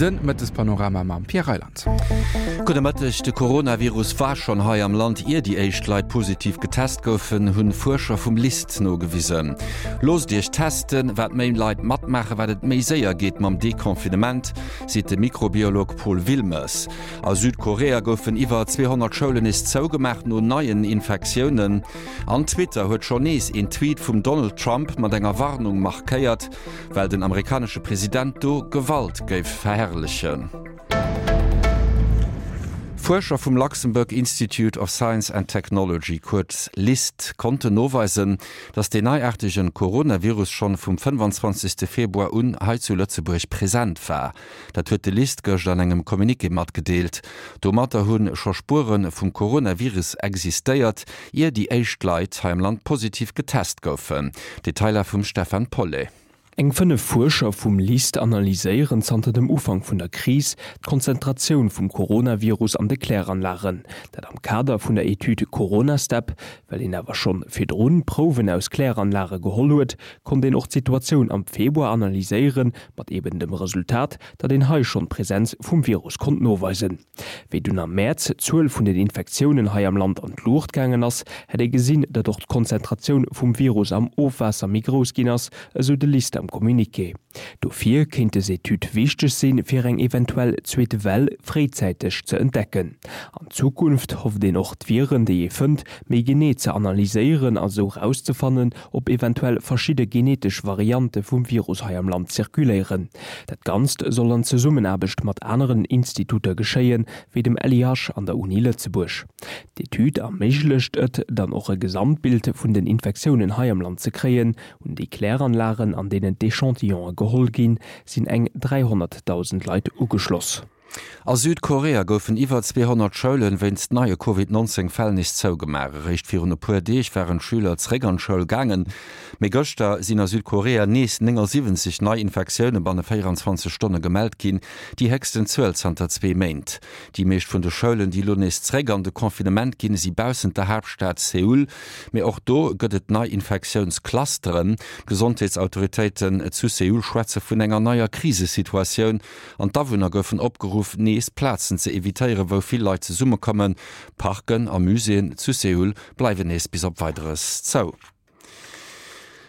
De Mëttespanorama mam Pierre Reyland. Gudde Mëtteg. De Coronavirus war schonn hei am Land, ier déi éischt Leit positiv getest goufen, hunn Fuerscher vum LIST nogewisen. Loosst Iech testen, wat méi Leit matmaachen, wat et méi séier geet mam Deconfinement, seet de Mikrobiolog Paul Wilmes. A Südkorea goufen iwwer 200 Schoulen nees zougemaach no neien Infektiounen. An Twitter huet schonn nees een Tweet vum Donald Trump mat enger Warnung markéiert, well den amerikanesche President do Gewalt géif verherrlechen. Fuerscher vum Luxembourg Institute of Science and Technology, kuerz LIST, konnten noweisen, datt deen neiaartegen Coronavirus schonn vum 25. Februar un hei zu Lëtzebuerg present war. Dat huet de LIST gëscht an engem Communiqué matgedeelt. Domatter hu scho Spuere vum Coronavirus existéiert, ier déi éischt Leit hei am Land positiv getest goufen. Detailer vum Stefan Paulet. Eng 5 Fuerscher vum LIST analyséieren zanter dem Ufank vun der Kris d'Konzentratioun vum Coronavirus an de Kläranlagen. Dat am Kader vun der Etüd Coronastep. Well een awer schonn virdrun Prouwen aus Kläranlage geholl huet, konnt een och d'Situatioun am Februar analyséieren, mat eben dem Resultat, datt een hei schonn d'Presenz vum Virus konnt noweisen. Wéi dunn am Mäerz d'Zuel vun den Infektiounen hei am Land an d'Luucht gaangen ass, hätt ee gesinn, datt och d'Konzentratioun vum Virus am Ofwaasser méi grouss ginn ass, esou de LIST am Communiqué. Dofir kéint des Etüd wichteg sinn, fir eng eventuell zweet Well fréizäiteg ze entdecken. An Zukunft hofft een och d'Viren, déi ee fënnt, méi genee ze analyséieren a sou rauszefannen, ob eventuell verschidde genetesch Variante vum Virus hei am Land zirkuléieren. Dat Ganzt soll an Zesummenaarbecht mat aneren Instituter geschéien, wéi dem LIH an der Uni Lëtzebuerg. D'Etüd erméiglecht et dann och e Gesamtbild vun den Infektiounen hei am Land ze kréien. Un déi Kläranlagen, an deenen d'Echantillonë geholl ginn, sinn eng 300.000 Leit ugeschloss. A Südkorea goufen iwwer 200 Schoulen wéinst neie Covid 19 Fäll nees zougemaach. Eréischt virun e puer Deeg waren d'Schüler zeréck an d'Schoul gaangen, mee gëschter sinn a Südkorea nees 79 nei Infektioune banne 24 Stonne gemellt ginn, déi héchsten Zuel zanter zwee Méint. Déi meescht vun de Schoulen, déi elo nees zeréck an de Confinement ginn, si baussent der Haaptstad Seoul, mee och do gëtt et nei Infektiounsclusteren. D'Gesondheetsautoritéiten zu Seoul schwätze vun enger neier Krisesituatioun. An d'Awunner goufen opgeruff, nees Plazen ze evitéieren, wou vill Leit zesummekommen. Parken a Muséeën zu Seoul bleiwen nees bis op Weideres zou.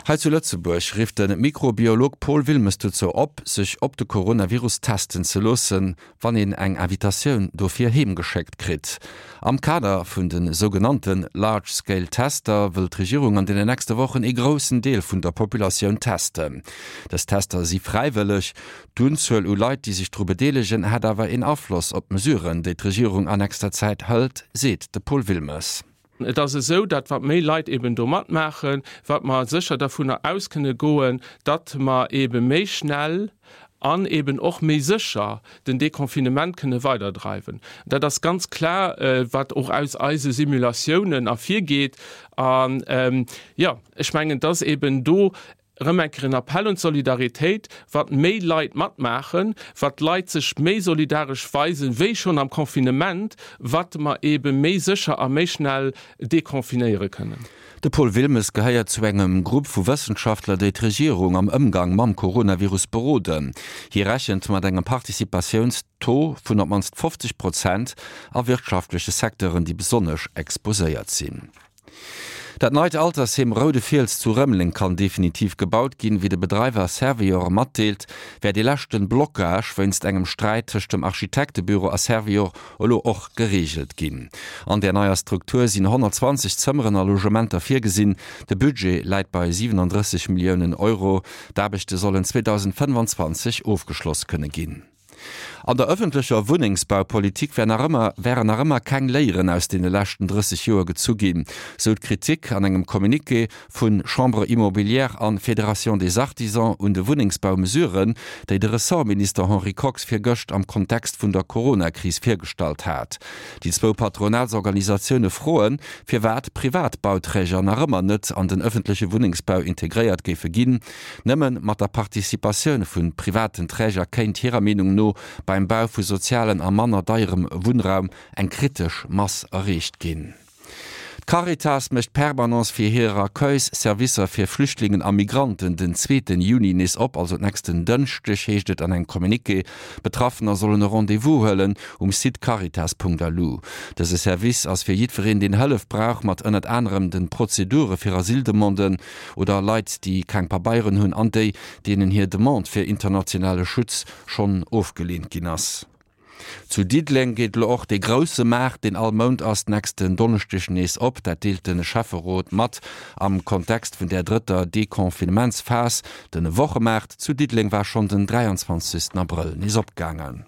Hei zu Lëtzebuerg rifft de Mikrobiolog Paul Wilmes dozou op, sech op de Coronavirus testen ze loossen, wann een eng Invitatioun dofir heem geschéckt kritt. Am Kader vun de sougenannte Large Scale Tester wëll d'Regierung an deenen nächste Wochen ee groussen Deel vun der Populatioun testen. Dës Tester si fräiwëlleg. D'Unzuel u Leit, déi sech dru bedeelegen, hätt awer een Afloss op d'Mesuren, déi d'Regierung an nächster Zäit hëlt, seet de Paul Wilmes. Et ass esou, datt wat méi Leit eben do matmaachen, wat mer sécher dervunner aus kënne goen, datt mer ebe méi schnell an eben och méi sécher den Deconfinement kënne weiderdreiwen. Dat ass ganz klar, wat och aus eise Simulatiounen ervirgeet. An, jo, ech mengen, dass eben do Erëm eng Kéier en Appell un d'Solidaritéit, Wat méi Leit matmaachen, wat d'Leit sech méi solidaresch weisen, wéi schonn am Confinement, wat mer eebe méi sécher a méi schnell deconfinéiere kënnen. De Paul Wilmes gehéiert zu engem Grupp vu Wëssenschaftler, déi d'Regierung am Ëmgang mam Coronavirus beroden. Hie rechent mat engem Participatiounstaux vun op d'mannst 50 Prozent a wirtschaftleche Secteuren, déi besonnesch exposéiert sinn. Dat neit Altersheem Roude Fiels zu Rëmeleng kann definitiv gebaut ginn. Wéi de Bedreiwer Servior matdeelt, wär dee leschten Blockage wéinst engem Sträit tëscht dem Architektebüro a Servior elo och gereegelt ginn. An där neier Struktur sinn 120 Zëmmeren a Logementer virgesinn. De Budget läit bei 37 Milliounen Euro. D'Aarbechte sollen 2025 ofgeschloss kënne ginn. An der ëffentlecher Wunnengsbaupolitik wär nach ëmmer wären nach ëmmer keng Léieren aus deene leschten 30 Joer gezu ginn, sou d'Kritik an engem Communiqué vu Chambre immobilière an Fédération des artisans un de Wunnengsbaumesuren, déi de Ressortminister Henri Kox virgëscht am Kontext vun der Coronakris virgestallt hat. Déi zwou Patronatsorganisatioune froen, firwat privat Bauträger nach ëmmer net an den ëffentleche Wunnengsbau integréiert géife ginn. Nëmme mat der Participatioun vu privaten Träger kéint hirer Meenung no beim Bau vu sozialen a manner deierem Wunnraum eng kritesch Mass erreecht ginn. D'Caritas mécht d'Permanence fir hir Accueils-Servicer fir Flüchtlingen a Migranten den zweeten Juni nees op, also d'nächsten Dënschdeg, heescht et an engem Communiqué. Betraffener sollen e Rendez-vous huelen um Site caritas.lu. Dëse Service ass fir jiddwereen, deen Hëllef brauch mat ënnert anerem de Prozedure fir Asyldemanden oder Leit, déi keng Pabeieren hunn an déi, deenen hir Demande fir internationale Schutz schonn ofgeleent ginn ass. Zu Diddeleng geet elo och dee grousse Maart, deen all Mount ass, nächsten Donneschdeg nees op. Dat deelt de Schäfferot mat am Kontext vun där drëtter Deconfinementsphas. De Wochemaart zu Diddeleng war schonn den 23 Abrëll nees opgaangen.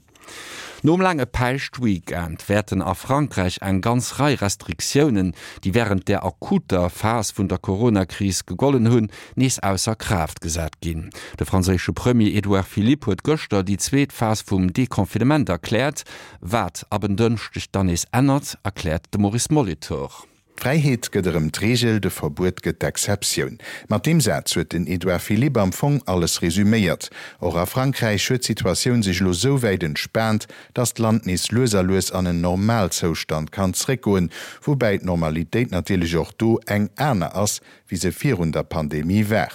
Nom laange Päischtweekend wäerten a Frankräich eng ganz Rei Restriktiounen, déi wärend der akuter Phas vun der Coronakris gegollen hunn, nees ausser Kraaft gesat ginn. De franséische Premier Edouard Philippe huet gëschter déi zweet Phas vum Deconfinement erkläert. Wat ab en Dënschdeg dann nees ännert, erkläert de Maurice Molitor. D'Fräiheet gëtt erëm d'Reegel, de Verbuet gëtt d'Exceptioun. Mat deem Saz huet den Edouard Philippe am Fong alles resuméiert. Och a Frankräich huet d'Situatioun sech elo sou wäit entspaant, datt d'Land nees lues a lues an en Normalzoustand kann zréckgoen, woubäi d'Normalitéit natierlech och do eng aner ass, wéi se virun der Pandemie war.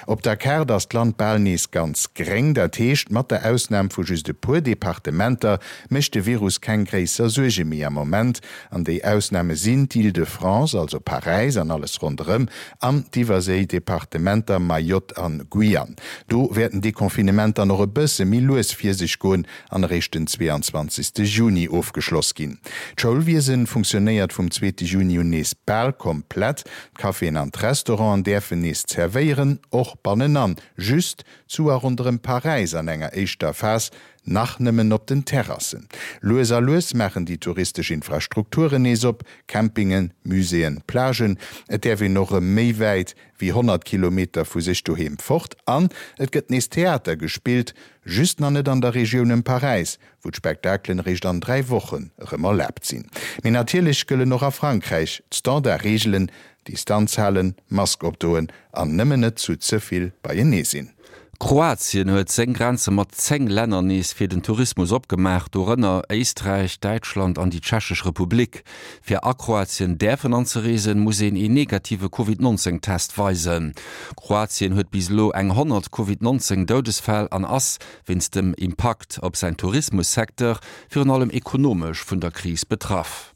Op der Kaart ass d'Land bal nees ganz gréng, dat heescht, mat der Ausnam vu just e puer Departementer mécht de Virus keng gréisser Suerge méi am Moment. An déi Ausname sinn d'Île-de-France, also Paräis an alles ronderëm, an d'Iwwerséi-Departementer Mayotte an Guyane. Do wäert den Deconfinement dann och e bësse méi lues vir sech goen an eréischt den 22 Juni ofgeschloss ginn. D'Schoulwiesen funktionéiert vum zweete Juni un nees bal komplett. D'Caféen an d'Restauranten däerfen nees zerwéieren, och bannenan, just zu a ronderëm Paräis an enger éischter Phas nach nëmmen op den Terrassen. Lues a lues maachen déi touristesch Infrastrukturen nees op, Campingen, Muséeën, Plagen. Et däerf een och erëm méi wäit wéi 100 Kilometer vu sech doheem fort an et gëtt nees Theater gespillt, just nach net an der Regioun ëm Paräis, wou d'Spektakelen eréischt an 3 Wochen erëm erlaabt sinn. Mee natierlech gëllen och a Frankräich d'Standard-Reegelen, Distanz halen, Mask opdoen an nëmmen net zu ze vill beienee sinn. Kroatien huet seng Grenze mat 10 Länner nees fir den Tourismus opgemaach, dorënner Éisträich, Däitschland an déi Tschechesch Republik. Fir a Kroatien däerfen anzereesen, muss een een negative Covid 19 Test weisen. Kroatien huet bis elo eng 100 Covid 19 Doudesfäll an ass, wéinst dem Impakt op säin Tourismussecteur, virun allem ekonomesch vun der Kris betraff.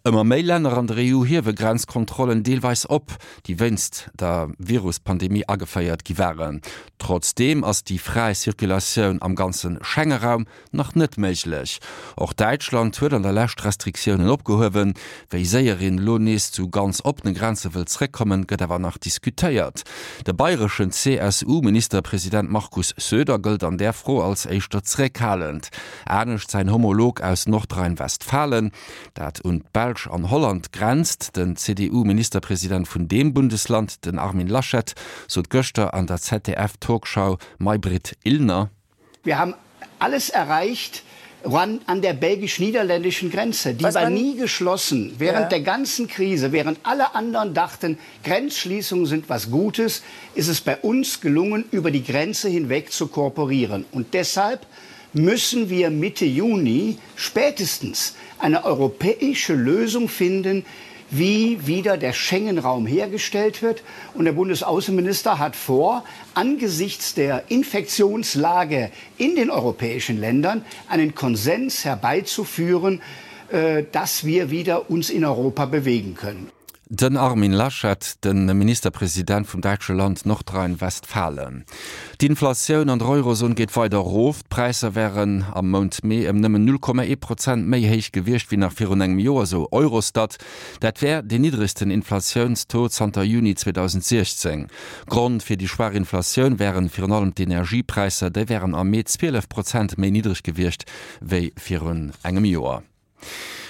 Ëmmer méi Länner an der EU hiewe Grenzkontrollen deelweis op, déi wéinst der Viruspandemie ageféiert gi waren. Trotzdeem ass déi fräi Circulatioun am ganze Schengeraum nach net méiglech. Och Däitschland huet an der Lescht Restriktiounen opgehuewen. Wéi séier een elo nees zu ganz oppene Grenze wëll zréckkommen, gëtt awer nach diskutéiert. De bayreschen CSU-Ministerpresident Markus Söder gëllt an där Fro als éischter zeréckhalend. Anescht säin Homolog aus Nordrhein-Westfalen, dat un d'Belsch an Holland grenzt. Den CDU-Ministerpresident vun deem Bundesland, den Armin Laschet, sot gëschter an der ZDF-Talkshow Maybrit Illner. Wir haben alles erreicht an der belgisch-niederländischen Grenze. Die war nie geschlossen während ja. der ganzen Krise, während alle anderen dachten, Grenzschließungen sind was Gutes, ist es bei uns gelungen, über die Grenze hinweg zu kooperieren. Und deshalb müssen wir Mitte Juni spätestens eine europäische Lösung finden, wie wieder der Schengen-Raum hergestellt wird. Und der Bundesaußenminister hat vor, angesichts der Infektionslage in den europäischen Ländern einen Konsens herbeizuführen, äh, dass wir wieder uns in Europa bewegen können. Den Armin Laschet, de Ministerpresident vum däitsche Land Nordrhein-Westfalen. D'Inflatioun an der Eurozon geet weider erof. D'Präisser wären am Mount Mee ëm nëmmen 0,1 Prozent méi héich gewiescht wéi nach virun engem Joer, sou Eurostat. Dat wär deen niddregsten Inflatiounstaux zanter Juni 2016. Grond fir déi schwaach Inflatioun wären virun allem d'Energiepräisser. Déi wären am Mee 12 Prozent méi niddreg gewiescht wéi virun engem Joer.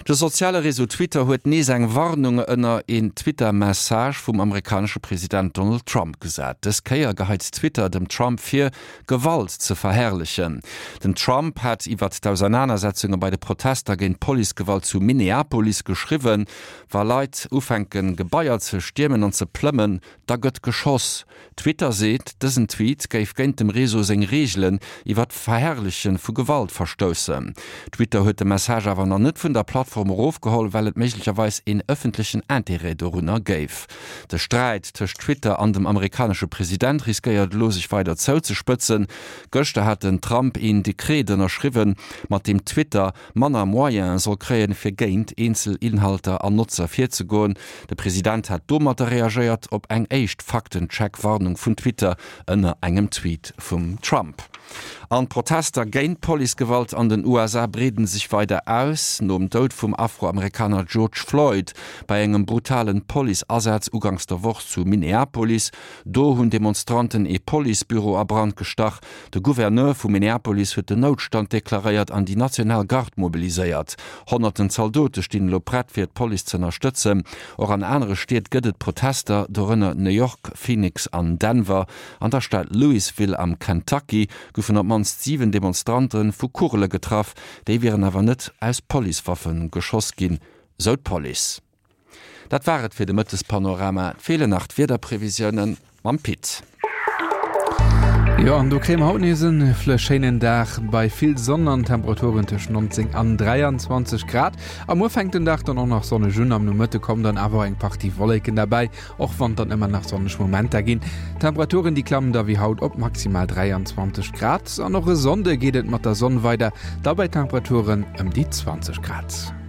De soziale Réseau Twitter huet nees eng Warnung ënner een Twitter-Message vum amerikanesche President Donald Trump gesat. Dës Kéier geheit Twitter dem Trump vir, Gewalt ze verherrlechen. Den Trump hat iwwert d'Ausernanersetzunge bei de Protester géint d'Policegewalt zu Minneapolis geschriwwen, Wa Leit ufänken, Gebaier ze stiermen an ze plëmmen, Da gëtt geschoss. Twitter seet, dësen Tweet géif géint dem Réseau seng Reegelen iwwer d'Verherrleche vu Gewalt verstoussen. Twitter huet de Message awer nach net. gëtt vun der Plattform erofgeholl, well et méiglecherweis een ëffentlechen Interêt dorunner géif. De Sträit tëscht Twitter an dem amerikanesche President riskéiert elo sech weider zouzespëtzen. Gëschter hat den Trump een Dekret ënnerschriwwen, mat deem Twitter manner Moyene soll kréien, fir géint eenzel Inhalter an Notzer virzegoen. De President hat domatter reagéiert op eng éischt Faktencheck-Warnung vun Twitter ënner engem Tweet vum Trump. An d'Protester géint d'Policegewalt an den USA breeden sech weider aus. Nom Doud vum Afroamerikaner George Floyd bei engem brutalen Police-Asaz uganks der Woch zu Minneapolis, do hunn Demonstranten ee Policebüro a Brand gestach. De Gouverneur vu Minneapolis huet den Noutstand deklaréiert an déi national Garde mobiliséiert. Honnerten Zaldote stinn elo prett fir d'Police z'ënnerstëtzen. Och an anere Stied gëtt et Protester, dorënner New York, Phoenix an Denver. An der Stad Louisville am Kentucky goufen op d'mannst 7 Demonstrante vu Kugele getraff. Déi wieren awer net aus Policewaffe geschoss ginn, sou d'Police. Dat war et fir de Mëttespanorama. Et feelen nach d'Wiederprevisiounen mam Pit. Jo, an do kréie mer haut nees en schéinen Dag bei vill Sonn an Temperaturen tëscht 19 an 23 Grad. A muer fänkt den Dag dann och nach sonneg un, am Nomëtte kommen dann awer och eng Partie Wolleken derbäi, och wann et dann ëmmer nach sonneg Momenter ginn. D'Temperaturen déi klammen da wéi haut op maximal 23 Grad. An och e Sonnde geet et mat der Sonn weider, da bei Temperaturen ëm déi 20 Grad.